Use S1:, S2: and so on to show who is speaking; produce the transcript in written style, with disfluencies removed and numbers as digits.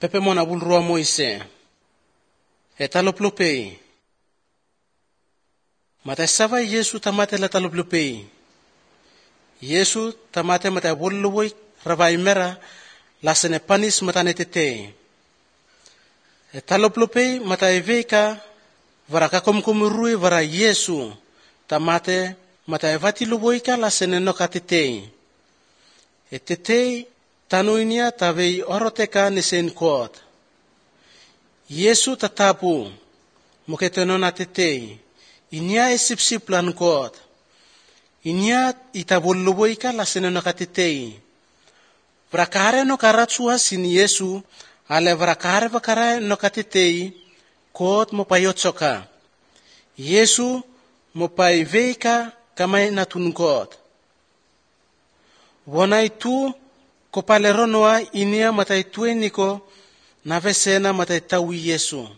S1: Pepe mona bulrua Moise. Etaloplopei. Mata sava Yesu tamate la taloplopei. Yesu tamate mata bolluwoi ravai mera la sene panis matane tete. Etaloplopei mata eveka varaka komkomurui vara Yesu tamate mata evati luboika la sene noka tete. Etete tanuinia tavei oroteka nisen kot. Yesu tatapu muketenona tete. Inia esipsip lan kot. Inia itabulluboika la sene noka tete. Vrakare no karatsua sin Yesu ale vrakare vakare noka tete kot mopayotsoka. Yesu mopaiveka kamay natun kot. Wona itu kopaleronoa inia matay tueniko navesena matay tawi Yesu.